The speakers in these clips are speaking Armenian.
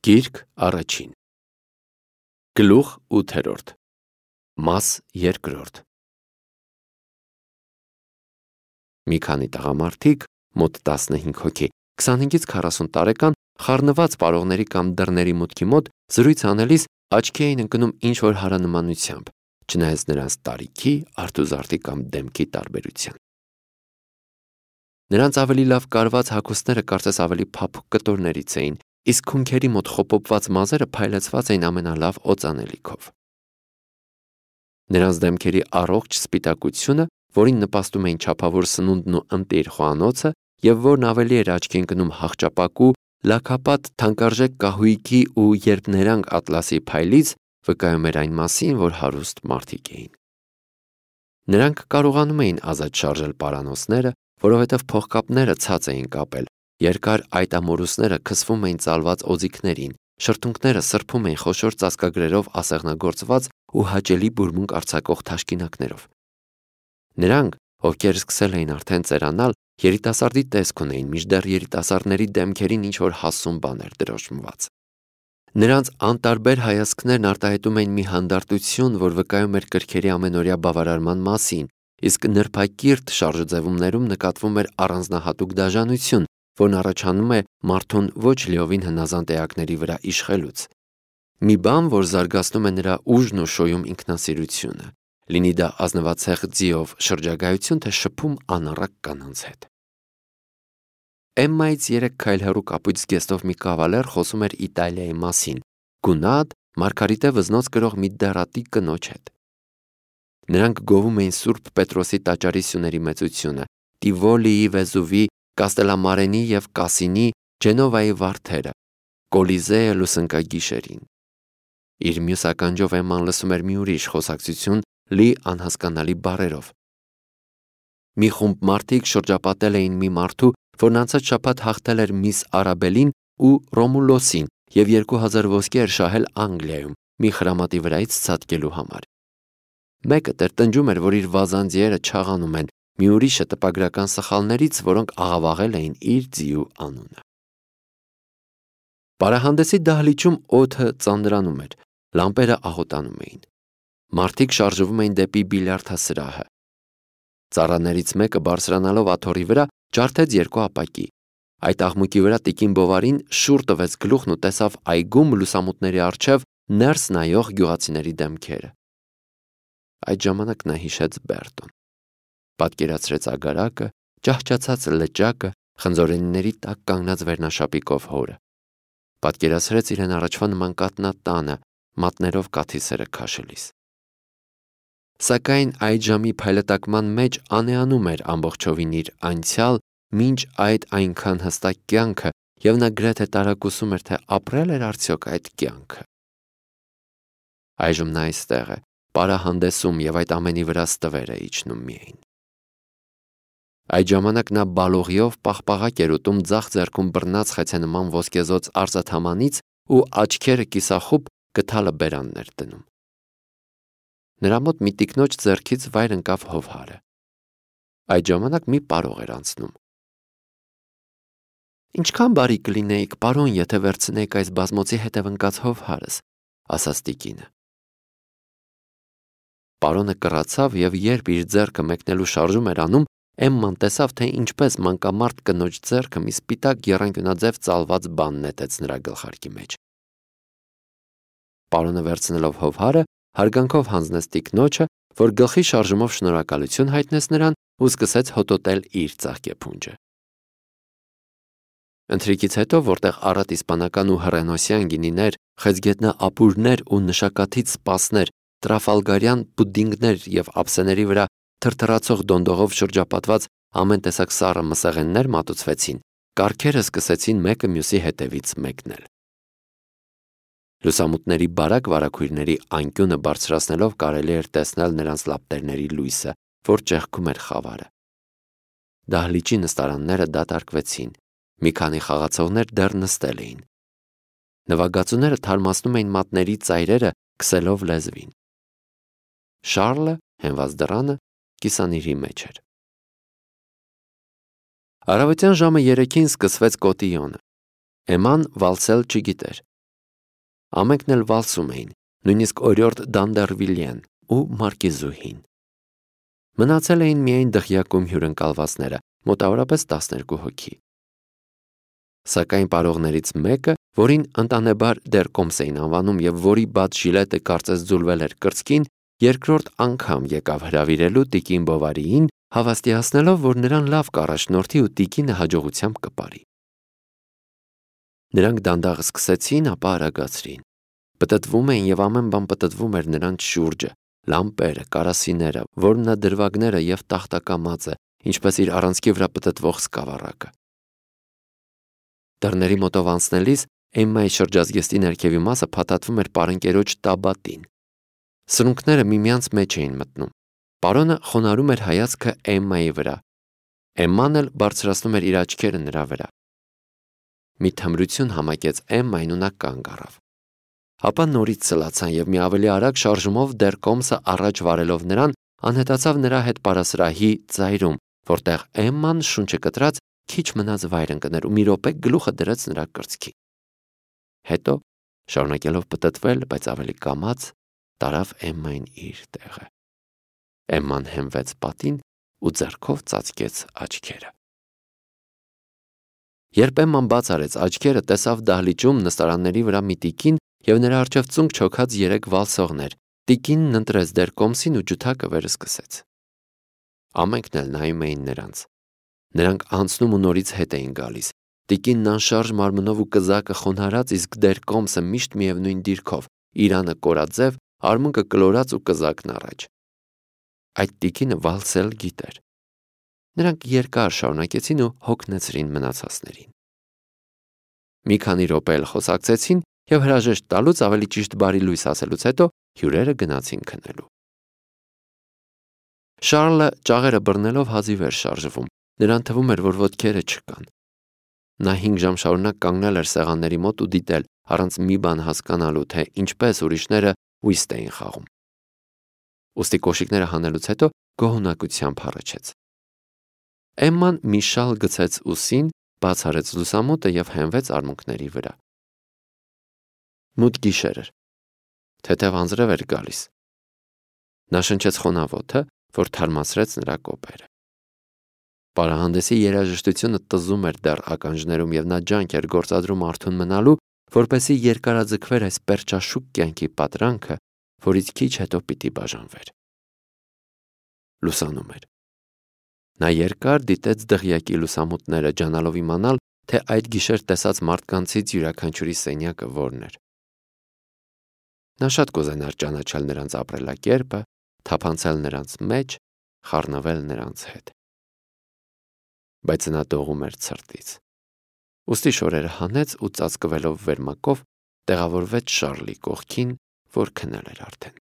Գիրք առաջին Գլուխ 8-րդ Մաս 2 Մի քանի տղամարդիկ, մոտ 15 հոգի, 25-ից 40 տարեկան, խառնված պարողների կամ դռների մուտքի մոտ զրույց անելիս աչքի էին ընկնում ինչ-որ հարանմանությամբ, չնայած նրանց տարիքի, արթուզարդի կամ դեմքի տարբերության։ Նրանց ավելի լավ կարված հագուստները կարծես ավելի փափուկ կտորներից էին, իսկ քունքերի մոտ խոպոպված մազերը փայլեցված էին ամենալավ օծանելիքով։ Նրանց դեմքերի առողջ սպիտակությունը, որին նպաստում էին չափավոր սնունդն ու ընտիր խոհանոցը, եւ որն ավելի էր աչքի ընկնում հաղճապակու, լաքապատ թանկարժեք կահույքի ու երբ նրանք ատլասի փայլից, վկայում էր այն մասին, որ հարուստ մարդիկ էին։ Նրանք կարողանում էին ազատ շարժել պարանոցները, որովհետև փողկապները ցած էին կապել, երկար այտամորուսները քսվում էին ծալված օձիքներին, շրթունքները սրբում էին խոշոր ծածկագրերով ասեղնագործված ու հաճելի բուրմունք արձակող թաշկինակներով։ Նրանք, ովքեր սկսել էին արդեն ծերանալ, երիտասարդի տեսք ունեին, մինչդեռ երիտասարդների դեմքերին ինչ-որ հասուն բան էր դրոշմված։ Նրանց անտարբեր հայացքներն արտահայտում էին մի հանդարտություն, որ վկայում էր կրքերի ամենօրյա բավարարման մասին, իսկ նրբակիրթ շարժուձևումներում նկատվում էր առանձնահատուկ դաժանություն, որն առաջանում է մարդուն ոչ լիովին հնազանդ էակների վրա իշխելուց։ Մի բան, որ զարգացնում է նրա ուժն ու շոյում ինքնասիրությունը, լինի դա ազնվացեղ ձիով շրջագայություն, թե շփում անառակ կանանց հետ։ Էմմայից 3 քայլ հեռու կապույտ զգեստով մի կավալեր խոսում էր Իտալիայի մասին, գունատ, մարգարիտե վզնոց կրող մի դեռատի կնոջ հետ։ Նրանք գովում էին Սուրբ Պետրոսի տաճարի սյուների մեծությունը, Տիվոլիի, Վեզուվի, Կաստելամարենի և Կասինի, Ջենովայի վարդերը, Կոլիզեը լուսնկագիշերին։ Իր մյուս ականջով Էմման լսում էր մի ուրիշ խոսակցություն, լի անհասկանալի բառերով։ Մի խումբ մարդիկ շրջապատել էին մի մարդու, որն անցած շաբաթ հաղթել էր Միս Արաբելին ու Ռոմուլոսին և 2000 ոսկի էր շահել Անգլիայում, մի խրամատի վրայից ցատկելու համար։ Մեկը տրտնջում էր, որ իր վազանձիերը չաղանում են, մի ուրիշը տպագրական սխալներից, որոնք աղավաղել էին իր ձիու անունը։ Պարահանդեսի դահլիճում օդը ծանրանում էր, լամպերը աղոտանում էին։ Մարդիկ շարժվում էին դեպի բիլիարդասրահը։ Ծառաներից մեկը բարձրանալով աթոռի վրա ջարդեց 2 ապակի։ Այդ աղմուկի վրա տիկին Բովարին շուռ տվեց գլուխն ու տեսավ այգում լուսամուտների առջև ներս նայող գյուղացիների դեմքերը։ Այդ ժամանակ նա հիշեց Բերտոն։ Պատկերացրեց ագարակը, ճահճացած լճակը, խնձորենիների տակ կանգնած վերնաշապիկով հորը։ Պատկերացրեց իրեն առաջվա նման կատնատանը, մատներով կաթիլսերը քաշելիս։ Սակայն այդ ժամի փայլատակման մեջ անեանում էր ամբողջովին իր անցյալ, մինչ այդ այնքան հստակ կյանքը, և նա գրեթե տարակուսում էր, թե ապրել էր արդյոք այդ կյանքը։ Այժմ նա այստեղ է, պարահանդեսում, և այդ ամենի վրա ստվեր է իջնում միայն։ Այդ ժամանակ նա բալողիով պաղպաղակ էր ուտում ձախ ձեռքում բռնած խեցենման ոսկեզօծ արծաթամանից ու աչքերը կիսախուբ գդալը բերանն էր դնում։ Նրա մոտ մի տիկնոջ ձեռքից վայր ընկավ հովհարը։ Այդ ժամանակ մի պարող էր անցնում։ «Ինչքան բարի կլինեիք, պարոն, եթե վերցնեիք այս բազմոցի հետև ընկած հովհարս», ասաց տիկինը։ Պարոնը կռացավ, և երբ իր ձեռքը մեկնելու շարժում էր անում, Էմման տեսավ, թե ինչպես մանկամարդ կնոջ ձեռքը մի սպիտակ եռանկյունաձև ծալված բան նետեց նրա գլխարկի մեջ։ Պարոնը վերցնելով հովհարը, հարգանքով հանձնեց տիկնոջը, որ գլխի շարժումով շնորհակալություն հայտնեց նրան ու սկսեց հոտոտել իր ծաղկեփունջը։ Ընթրիքից հետո, որտեղ առատ իսպանական ու հռենոսյան գինիներ, խեցգետնա ապուրներ ու նշակաթիթ սպասներ, տրաֆալգարյան պուդինգներ և ափսեների վրա թրթռացող դոնդողով շրջապատված ամեն տեսակ սառը մսեղեններ մատուցվեցին, կառքերը սկսեցին մեկը մյուսի հետևից մեկնել։ Լուսամուտների բարակ վարագույրների անկյունը բարձրացնելով կարելի էր տեսնել նրանց լապտերների լույսը, որ ճեղքում էր խավարը։ Դահլիճի նստարանները դատարկվեցին, մի քանի խաղացողներ դեռ նստել էին։ Նվագածուները թարմացնում էին մատների ծայրերը, քսելով լեզվին։ Շառլը, հենված դռանը, կիսանիրի մեջ էր։ Առավոտյան ժամը 3-ին սկսվեց կոտիյոնը։ Էմման վալսել չգիտեր։ Ամենքն էլ վալսում էին, նույնիսկ օրիորդ Դանդերվիլյեն ու Մարկիզուհին։ Մնացել էին միայն դղյակում հյուրընկալվածները, մոտավորապես 12 հոգի։ Սակայն պարողներից մեկը, որին ընտանեբար դեռ կոմս էին անվանում եւ որի բաց ժիլետը կարծես ձուլվել էր կրծքին, երկրորդ անգամ եկավ հրավիրելու տիկին Բովարիին, հավաստիացնելով, որ նրան լավ կառաջնորդի ու տիկինը հաջողությամբ կպարի։ Նրանք դանդաղ սկսեցին, ապա արագացրին։ Պտտվում էին եւ ամեն բան պտտվում էր նրանց շուրջը, լամպերը, կարասիները, որմնադրվագները եւ տախտակամածը, ինչպես իր առանցքի վրա պտտվող սկավառակը։ Դռների մոտով անցնելիս Էմմայի շրջազգեստի ներքևի մասը փաթաթվում էր պարընկերոջ տաբատին։ Սրունքները միմյանց մեջ էին մտնում։ Պարոնը խոնարհում էր հայացքը Էմմայի վրա։ Էմման էլ բարձրացնում էր իր աչքերը նրա վրա։ Մի թմրություն համակեց Էմմային ու նա կանգ առավ։ Ապա նորից ցլացան եւ մի ավելի արագ շարժումով դեռ կոմսը առաջ վարելով նրան անհետացավ նրա հետ պարասրահի ծայրում, որտեղ Էմման շունչը կտրած քիչ մնաց վայր ընկներ ու մի րոպե գլուխը դրեց նրա կրծքի։ Հետո, շարունակելով պտտվել, բայց ավելի կամաց, տարավ Էմմային իր տեղը։ Էմման հենվեց պատին ու ձեռքով ծածկեց աչքերը։ Երբ Էմման բաց արեց աչքերը, տեսավ դահլիճում նստարանների վրա մի տիկին եւ նրա առջեւ ծունկ չոքած 3 վալսողներ։ Տիկինն ընտրեց դեռ կոմսին ու ջութակը վերը սկսեց։ Ամենքն էլ նայում էին նրանց։ Նրանք անցնում ու նորից հետ էին գալիս։ Տիկինն անշարժ մարմնով ու կզակը խոնարհած, իսկ դեռ կոմսը միշտ միևնույն դիրքով, իրանը կորաձև, արմունկը կլորած ու կզակն առաջ։ Այդ տիկինը վալսել գիտեր։ Նրանք երկար շարունակեցին ու հոգնեցրին մնացածներին։ Մի քանի րոպե էլ խոսակցեցին եւ հրաժեշտ տալուց ավելի ճիշտ բարի լույս ասելուց հետո հյուրերը գնացին քնելու։ Շարլը ճաղերը բռնելով հազիվ էր շարժվում։ Նրան թվում էր, որ ոտքերը չկան։ Նա 5 ժամ շարունակ կանգնել էր սեղանների մոտ ու դիտել, առանց մի բան հասկանալու, թե ինչպես ուրիշները ուիստ էին խաղում։ Ուստի կոշիկները հանելուց հետո գոհունակությամբ հառաչեց։ Էմման մի շալ գցեց ուսին, բաց արեց լուսամուտը եւ հենվեց արմունկների վրա։ Մութ գիշեր էր։ Թեթև անձրև էր գալիս։ Նա շնչեց խոնավոթը, որ թարմացրեց նրա կոպերը։ Պարահանդեսի երաժշտությունը տզում էր դեռ ականջներում եւ նա ջանք էր գործադրում արթուն մնալու, որպեսզի երկարաձգվեր այս պերճաշուկ կյանքի պատրանքը, որից քիչ հետո պիտի բաժանվեր։ Լուսանում էր։ Նա երկար դիտեց դղյակի լուսամուտները, ջանալով իմանալ, թե այդ գիշեր տեսած մարդկանցից յուրաքանչյուրի սենյակը որն էր։ Նա շատ կուզենար ճանաչել նրանց ապրելակերպը, թափանցել նրանց մեջ, խառնվել նրանց հետ։ Բայց նա դողում էր ցրտից։ Ուստի շորերը հանեց ու ծածկվելով վերմակով տեղավորվեց Շարլի կողքին, որ քնել էր արդեն։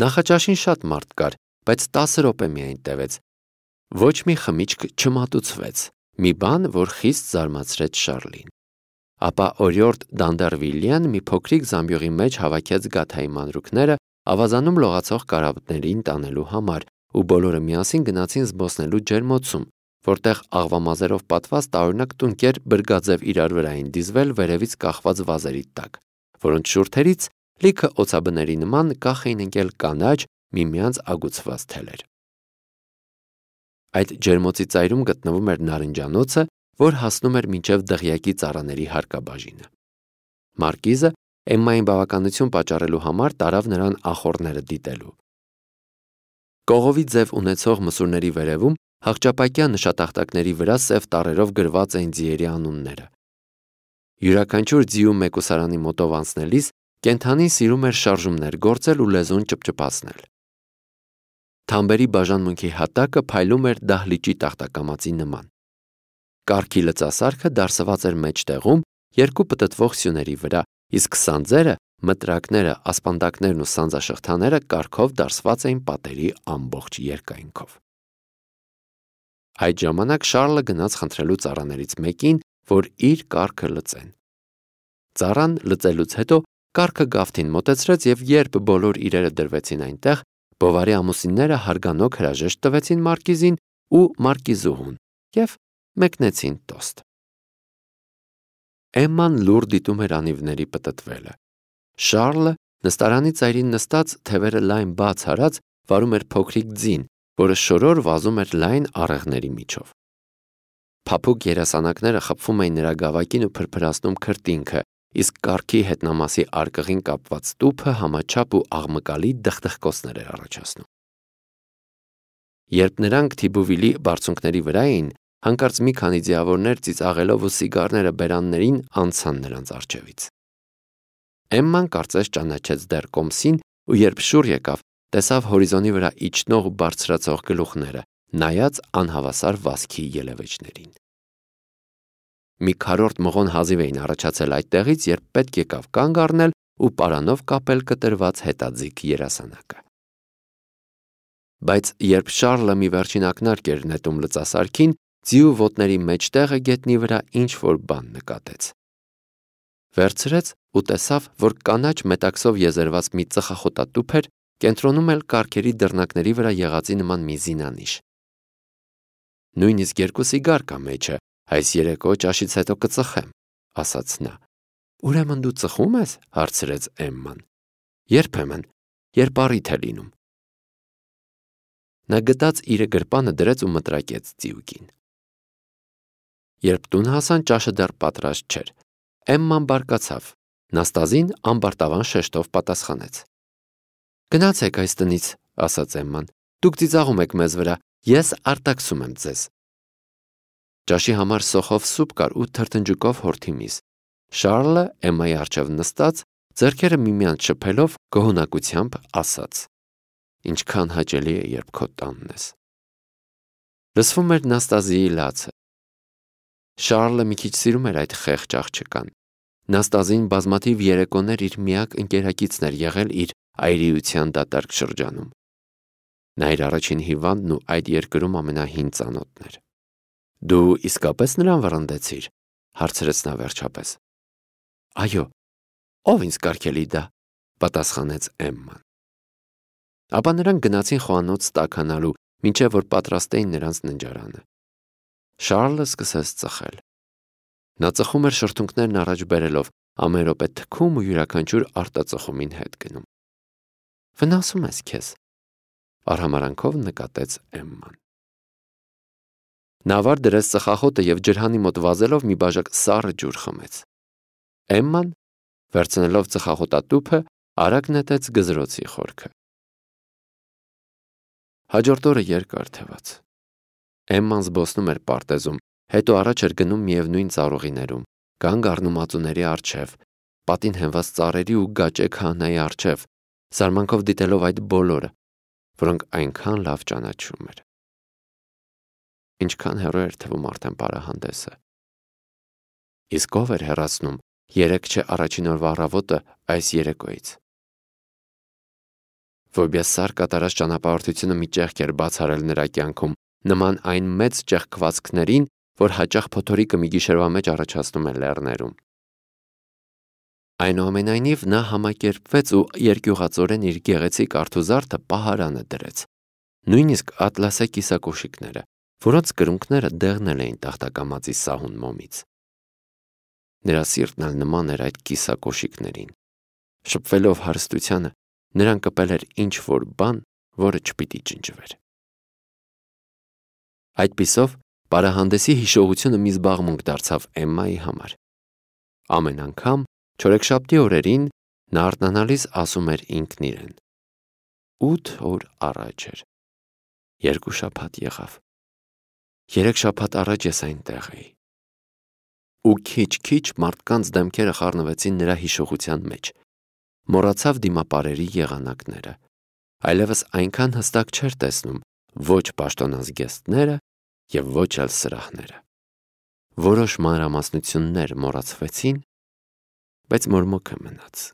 Նախաճաշին շատ մարդ կար, բայց 10 րոպե միայն տևեց։ Ոչ մի խմիչք չմատուցվեց, մի բան, որ խիստ զարմացրեց Շարլին։ Ապա օրիորդ Դանդերվիլյեն մի փոքրիկ զամբյուղի մեջ հավաքեց գաթայի մանրուքները, ավազանում լողացող կարապներին տանելու համար, ու բոլորը միասին գնացին զբոսնելու ջերմոցում, որտեղ աղվամազերով պատված տարօրինակ տունկեր բրգաձև իրար վրա էին դիզվել վերևից կախված վազերի տակ, որոնց շուրթերից լիքը օծաբների նման կախ էին ընկել կանաչ, միմյանց ագուցված թելեր։ Այդ ջերմոցի ծայրում գտնվում էր նարնջանոցը, որ հասնում էր մինչև դղյակի ծառաների հարկաբաժինը։ Մարկիզը Էմմային բավականություն պատճառելու համար տարավ նրան ախոռները դիտելու։ Կողովի ձև ունեցող մսուրների վերևում հաղճապակյա նշատախտակների վրա սև տառերով գրված էին ձիերի անունները։ Յուրաքանչյուր ձիու մեկուսարանի մոտով անցնելիս կենդանին սիրում էր շարժումներ գործել ու լեզուն ճպճպացնել։ Թամբերի բաժանմունքի հատակը փայլում էր դահլիճի տախտակամածի նման։ Կառքի լծասարքը դարսված էր մեջտեղում երկու պտտվող սյուների վրա, իսկ սանձերը, մտրակները, ասպանդակներն ու սանձաշղթաները կառքով դարսված էին պատերի ամբողջ երկայնքով։ Այդ ժամանակ Շարլը գնաց խնդրելու ծառաներից մեկին, որ իր կառքը լծեն։ Ծառան լծելուց հետո կառքը գավթին մոտեցրեց եւ երբ բոլոր իրերը դրվեցին այնտեղ, Բովարի ամուսինները հարգանոք հրաժեշտ տվեցին Մարկիզին ու Մարկիզուհուն եւ մեկնեցին տոստ։ Էմման լուր դիտում էր անիվների պտտվելը։ Շառլը նստարանի ծայրին նստած, թևերը լայն բաց հարած, վարում էր փոքրիկ ձին, որը շորոր վազում էր լայն առեղների միջով։ Փափուկ երասանակները խփվում էին նրա գավակին ու փրփրացնում քրտինքը, իսկ կառքի հետնամասի արկղին կապված տուփը համաչափ ու աղմկալի դխդխկոցներ էր առաջացնում։ Երբ նրանք Թիբուվիլի բարձունքների վրա էին, հանկարծ մի քանի ձիավորներ ծիծաղելով ու սիգարները բերաններին անցան նրանց առջևից։ Էմման կարծես ճանաչեց դեռ կոմսին ու երբ շուռ եկավ, տեսավ հորիզոնի վրա իջնող ու բարձրացող գլուխները, նայած անհավասար վազքի ելևէջներին։ Մի քառորդ մղոն հազիվ էին առաջացել այդտեղից, երբ պետք եկավ կանգ առնել ու պարանով կապել կտրված հետաձիգ երասանակը։ Բայց երբ Շառլը մի վերջին ակնարկ էր նետում լծասարքին, ձիու ոտների մեջտեղը գետնի վրա ինչ-որ բան նկատեց։ Վերցրեց ու տեսավ, որ կանաչ մետաքսով եզերված մի ծխախոտատուփ էր, կենտրոնում էլ կառքերի դռնակների վրա եղածի նման մի զինանիշ։ Նույնիսկ 2 սիգար կա մեջը, այս երեկո ճաշից հետո կծխեմ, ասաց նա։ Ուրեմն դու ծխում ես, հարցրեց Էմման։ Երբեմն, երբ առիթ է լինում։ Նա գտած իր գրպանը դրեց ու մտրակեց ձիուկին։ Երբ տուն հասան, ճաշը դեռ պատրաստ չէր։ Էմման բարկացավ։ Նաստազին ամբարտավան շեշտով պատասխանեց։ Գնացեք այս տնից, ասաց Էմման։ Դուք ծիծաղում եք մեզ վրա, ես արտաքսում եմ ձեզ։ Ճաշի համար սոխով սուպ կար ու թրթնջուկով հորթի միս։ Շառլը Էմմայի առջև նստած, ձեռքերը միմյանց շփելով գոհունակությամբ ասաց. Ինչքան հաճելի է, երբ քո տանն ես։ Լսվում էր Նաստազիի լացը։ Շառլը մի քիչ սիրում էր այդ խեղճ աղջկան։ Նաստազին բազմաթիվ երեկոներ իր միակ ընկերակիցն էր եղել իր այրիության դատարկ շրջանում։ Նա իր առաջին հիվանդն ու այդ երկրում ամենահին ծանոթն էր։ Դու իսկապես նրան վռնդեցիր, հարցրեց նա վերջապես։ Այո, ով ինձ կարգելի դա, պատասխանեց Էմման։ Ապա նրանք գնացին խոհանոց տաքանալու, մինչև որ պատրաստեին նրանց ննջարանը։ Շառլը սկսեց ծխել։ Նա ծխում էր շրթունքներն առաջ բերելով, ամեն րոպե թքում ու յուրաքանչյուր արտածխումին հետ գնում։ Վնասում ես քեզ, արհամարանքով նկատեց Էմման։ Նա վար դրեց ծխախոտը և ջրհանի մոտ վազելով մի բաժակ սառը ջուր խմեց։ Էմման, վերցնելով ծխախոտատուփը, արագ նետեց գզրոցի խորքը։ Հաջորդ օրը երկար թևաց։ Էմման զբոսնում էր պարտեզում, հետո առաջ էր գնում միևնույն ծառուղիներում, կանգ առնում ածուների առջև, պատին հենված ծառերի ու գաճե քահանայի առջև, զարմանքով դիտելով այդ բոլորը, որոնք այնքան լավ ճանաչում էր։ Ինչքան հեռու էր թվում արդեն պարահանդեսը։ Իսկ ով էր հեռացնում 3 չէ առաջին օրվա առավոտը այս երեկոյից։ Ֆոբիասար կատարած ճանապարհորդությունը մի ճեղք էր բացառել նրա կյանքում, նման այն մեծ ճեղքվածքներին, որ հաճախ փոթորիկը մի գիշերվա մեջ առաջացնում է լեռներում։ Այնուամենայնիվ նա համակերպվեց ու երկյուղածորեն իր գեղեցիկ արթուզարդը պահարանը դրեց։ Նույնիսկ ատլասե կիսակոշիկները, որոնց կրունկները դեղնել էին տախտակամածի սահուն մոմից։ Նրա սիրտն էլ նման էր այդ կիսակոշիկներին։ Շփվելով հարստությանը, նրան կպել էր ինչ-որ բան, որը չպիտի ջնջվեր։ Այդպիսով, պարահանդեսի հիշողությունը մի զբաղմունք դարձավ Էմմայի համար։ Ամեն անգամ չորեքշաբթի օրերին նա արթնանալիս ասում էր ինքն իրեն. 8 օր առաջ էր։ 2 շաբաթ եղավ։ 3 շաբաթ առաջ ես այնտեղ էի։ Ու քիչ-քիչ մարդկանց դեմքերը խառնվեցին նրա հիշողության մեջ։ Մոռացավ դիմապարերի եղանակները։ Այլևս այնքան հստակ չէր տեսնում ոչ պաշտոնազգեստները և ոչ էլ սրահները։ Որոշ մանրամասնություններ մոռացվեցին, բայց մորմոքը մնաց։